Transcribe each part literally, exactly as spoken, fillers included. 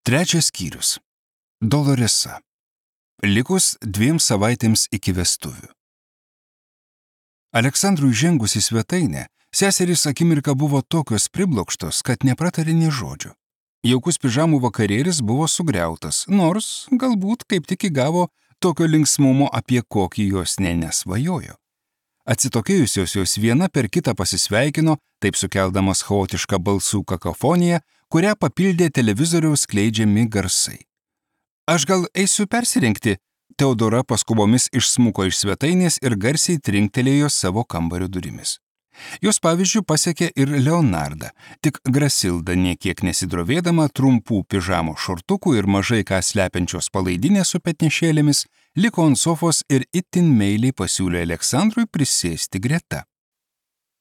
Trečias skyrius. Doloresa. Likus dviem savaitėms iki vestuvių. Aleksandrui žengus į svetainę, seserys akimirką buvo tokios priblokštos, kad nepratarė nė žodžio. Jaukus pižamų vakarėlis buvo sugriautas, nors galbūt kaip tik įgavo tokio linksmumo, apie kokį jos nė nesvajojo. Atsitokėjusios jos viena per kitą pasisveikino, taip sukeldamas chaotišką balsų kakofoniją, kurią papildė televizoriaus skleidžiami garsai. Aš gal eisiu persirengti? Teodora paskubomis išsmuko iš svetainės ir garsiai trinktelėjo savo kambario durimis. Jos pavyzdžių pasiekė ir Leonardą, tik Grasilda niekiek nesidrovėdama trumpų pižamo šortukų ir mažai ką slepiančios palaidinės su petnešėlėmis, liko ant sofos ir itin meiliai pasiūlė Aleksandrui prisėsti greta.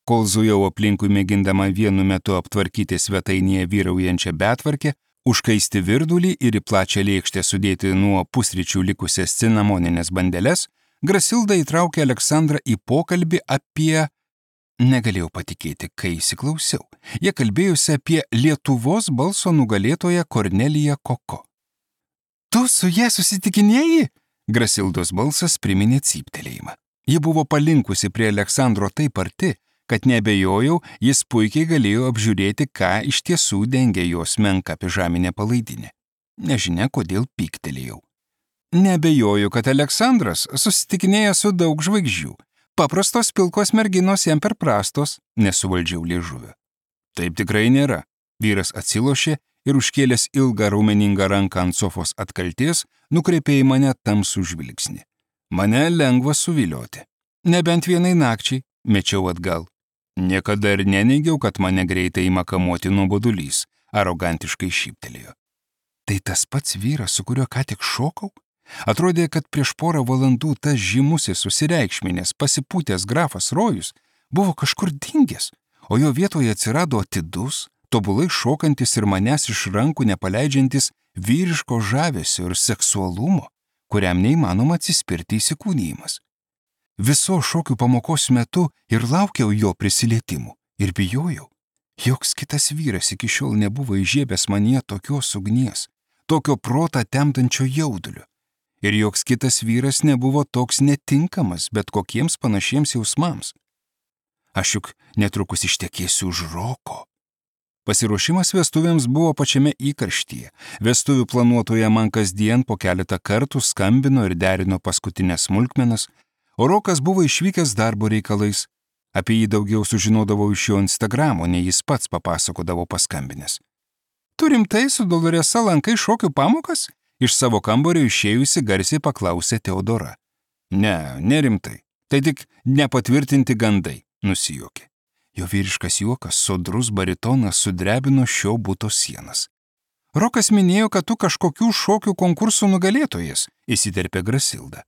Kol zujau aplinkui mėgindama vienu metu aptvarkyti svetainėje vyraujančią betvarkę, užkaisti virdulį ir į plačią lėkštę sudėti nuo pusryčių likusias cinamoninės bandeles, Grasilda įtraukė Aleksandrą į pokalbį apie... Negalėjau patikėti, kai įsiklausiau. Jie kalbėjusi apie Lietuvos balso nugalėtoją Korneliją Koko. Tu su ja susitikinėjai? Grasildos balsas priminė cyptelėjimą. Ji buvo palinkusi prie Aleksandro taip arti, kad neabejojau, jis puikiai galėjo apžiūrėti, ką iš tiesų dengia jos menka pižaminė palaidinė. Nežinia, kodėl pyktelėjau. Neabejoju, kad Aleksandras susitikinėja su daug žvaigždžių. Paprastos pilkos merginos jam per prastos, nesuvaldžiau liežuvio. Taip tikrai nėra. Vyras atsilošė ir užkėlęs ilgą raumeningą ranką ant sofos atkalties, nukreipė į mane tamsų žvilgsnį. Mane lengva suvilioti. Nebent vienai nakčiai, mečiau atgal. Niekada ir neneigiau, kad mane greitai ima kamuoti nuobodulys, arogantiškai šyptelėjo. Tai tas pats vyras, su kuriuo ką tik šokau? Atrodė, kad prieš porą valandų tas žymusis susireikšminės pasipūtęs grafas Rojus buvo kažkur dingęs, o jo vietoje atsirado atidus, tobulai šokantis ir manęs iš rankų nepaleidžiantis vyriško žavesio ir seksualumo, kuriam neįmanoma atsispirti įsikūnijimas. Viso šokių pamokos metu ir laukiau jo prisilietimų ir bijojau. Joks kitas vyras iki šiol nebuvo įžiebęs manyje tokios ugnies, tokio protą temdančio jaudulio. Ir joks kitas vyras nebuvo toks netinkamas bet kokiems panašiems jausmams. Aš juk netrukus ištekėsiu už Roko. Pasiruošimas vestuvėms buvo pačiame įkarštyje. Vestuvių planuotoja man kasdien po keletą kartų skambino ir derino paskutinės smulkmenas, o Rokas buvo išvykęs darbo reikalais. Apie jį daugiau sužinodavau iš jo Instagramo, nei jis pats papasakodavo paskambinęs. Tu rimtai su Doloresa lankai šokių pamokas? Iš savo kambario išėjusi garsiai paklausė Teodora. Ne, nerimtai. Tai tik nepatvirtinti gandai, nusijuokė. Jo vyriškas juokas, sodrus baritonas sudrebino šio buto sienas. Rokas minėjo, kad tu kažkokių šokių konkursų nugalėtojas, įsiterpė Grasilda.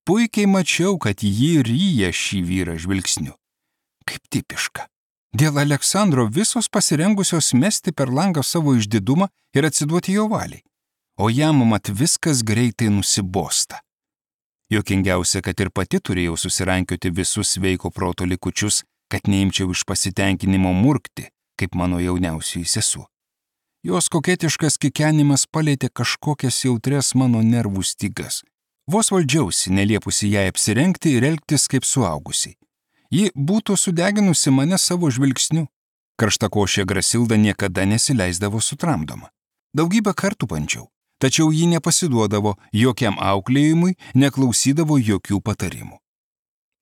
Puikiai mačiau, kad jį ryja šį vyrą žvilgsniu. Kaip tipiška. Dėl Aleksandro visos pasirengusios mesti per langą savo išdidumą ir atsiduoti jo valiai. O jam mat viskas greitai nusibosta. Juokingiausia, kad ir pati turėjau susirankioti visus sveiko proto likučius, kad neimčiau iš pasitenkinimo murkti, kaip mano jauniausioji sesuo. Jos koketiškas kikenimas palėtė kažkokias jautrias mano nervų stygas. Vos valdžiausi, neliepusi jai apsirengti ir elgtis kaip suaugusiai. Ji būtų sudeginusi mane savo žvilgsniu. Karštakošė Grasilda niekada nesileisdavo sutramdoma. Daugybę kartų bandžiau. Tačiau ji nepasiduodavo jokiam auklėjimui, neklausydavo jokių patarimų.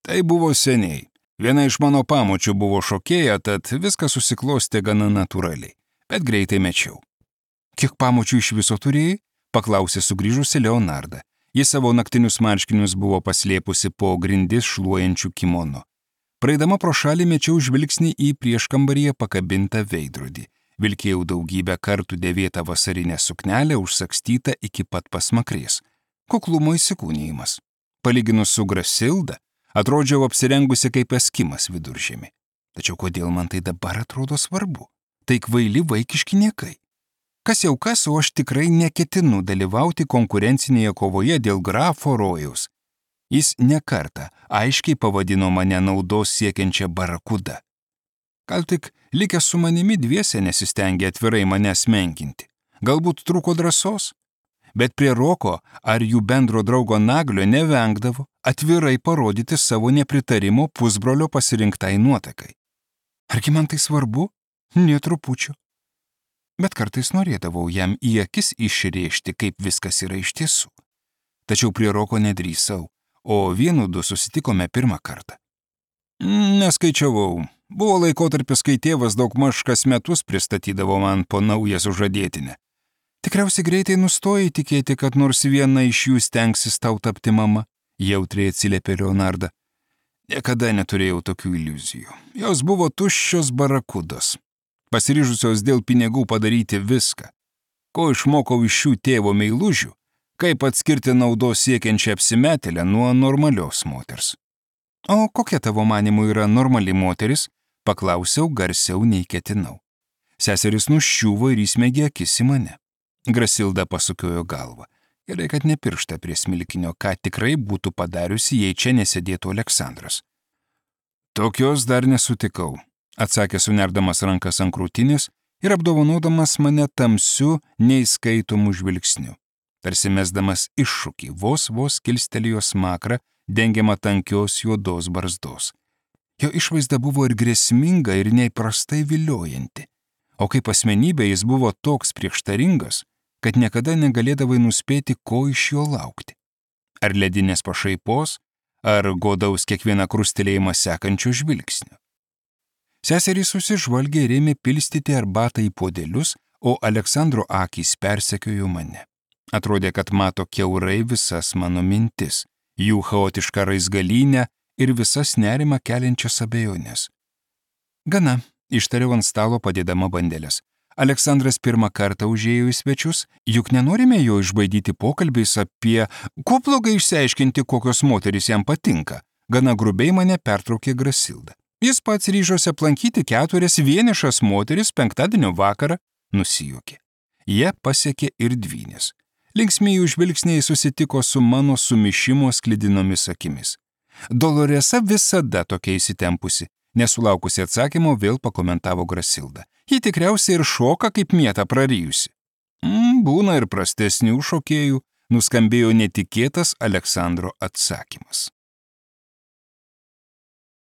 Tai buvo seniai. Viena iš mano pamočių buvo šokėja, tad viskas susiklostė gana natūraliai, bet greitai mečiau. Kiek pamočių iš viso turėjai? Paklausė sugrįžusi Leonarda. Jis savo naktinius marškinius buvo paslėpusi po grindis šluojančių kimono. Praeidama pro šalį mečiau žvilgsnį į prieškambaryje pakabintą veidrodį. Vilkėjau daugybę kartų dėvėtą vasarinę suknelę užsakstytą iki pat pasmakrės. Kuklumo įsikūnijimas. Palyginus su Grasilda, atrodžiau apsirengusi kaip eskimas viduržemį. Tačiau kodėl man tai dabar atrodo svarbu? Tai kvaili vaikiški niekai. Kas jau kas, o aš tikrai neketinu dalyvauti konkurencinėje kovoje dėl grafo Rojaus. Jis nekartą aiškiai pavadino mane naudos siekiančią barakudą. Gal tik likęs su manimi dviese nesistengė atvirai manęs menkinti. galbūt trūko drąsos. Bet prie Roko ar jų bendro draugo Naglio nevengdavo atvirai parodyti savo nepritarimo pusbrolio pasirinktai nuotakai. Argi man tai svarbu? Nė trupučio. Bet kartais norėdavau jam į akis išrėžti, kaip viskas yra iš tiesų. Tačiau prie Roko nedrįsau, o vienu du susitikome pirmą kartą. Neskaičiavau. Buvo laikotarpis, kai tėvas daugmaž kas metus pristatydavo man po naują sužadėtinę. Tikriausiai greitai nustojai tikėti, kad nors viena iš jų stengsis tau tapti mama, jautriai atsiliepė Leonarda. Niekada neturėjau tokių iliuzijų. Jos buvo tuščios barakudos, pasiryžusios dėl pinigų padaryti viską. Ko išmokau iš šių tėvo meilužių, kaip atskirti naudos siekiančią apsimetėlę nuo normalios moters. O kokia tavo manimų yra normali moteris? Paklausiau garsiau nei ketinau. Seseris nuščiuvo ir įsmeigė akis į mane. Grasilda pasukiojo galvą. Gerai, kad ne pirštą prie smilkinio, ką tikrai būtų padariusi, jei čia nesėdėtų Aleksandras. Tokios dar nesutikau, atsakė sunerdamas rankas ant krūtinės ir apdovanodamas mane tamsiu, neįskaitomų žvilgsniu. Tarsi mesdamas iššūkį, vos vos kilstelėjo smakrą, dengiama tankios juodos barzdos. Jo išvaizda buvo ir grėsminga, ir neįprastai viliojanti. O kaip asmenybė jis buvo toks prieštaringas, kad niekada negalėdavai nuspėti, ko iš jo laukti. Ar ledinės pašaipos, ar godaus kiekvieną krustelėjimą sekančių žvilgsnių. Seserys susižvalgė ir ėmė pilstyti arbatą į puodelius, o Aleksandro akys persekiojo mane. Atrodė, kad mato kiaurai visas mano mintis, jų chaotišką raizgalynę ir visas nerimą keliančias abejonės. Gana, ištariau ant stalo padėdama bandelės. Aleksandras pirmą kartą užėjo į svečius, juk nenorime jo išbaidyti pokalbiais apie, ko blogai išsiaiškinti, kokios moterys jam patinka. Gana grubiai mane pertraukė Grasilda. Jis pats ryžosi aplankyti keturias vienišas moteris penktadienio vakarą, nusijuokė. Jie pasiekė ir dvynės. Linksmieji žvilgsniai susitiko su mano sumišimo sklidinomis akimis. Doloresa visada tokia įsitempusi. Nesulaukusi atsakymo, vėl pakomentavo Grasilda. Ji tikriausiai ir šoka kaip mieta prarijusi. Mm, būna ir prastesnių šokėjų, nuskambėjo netikėtas Aleksandro atsakymas.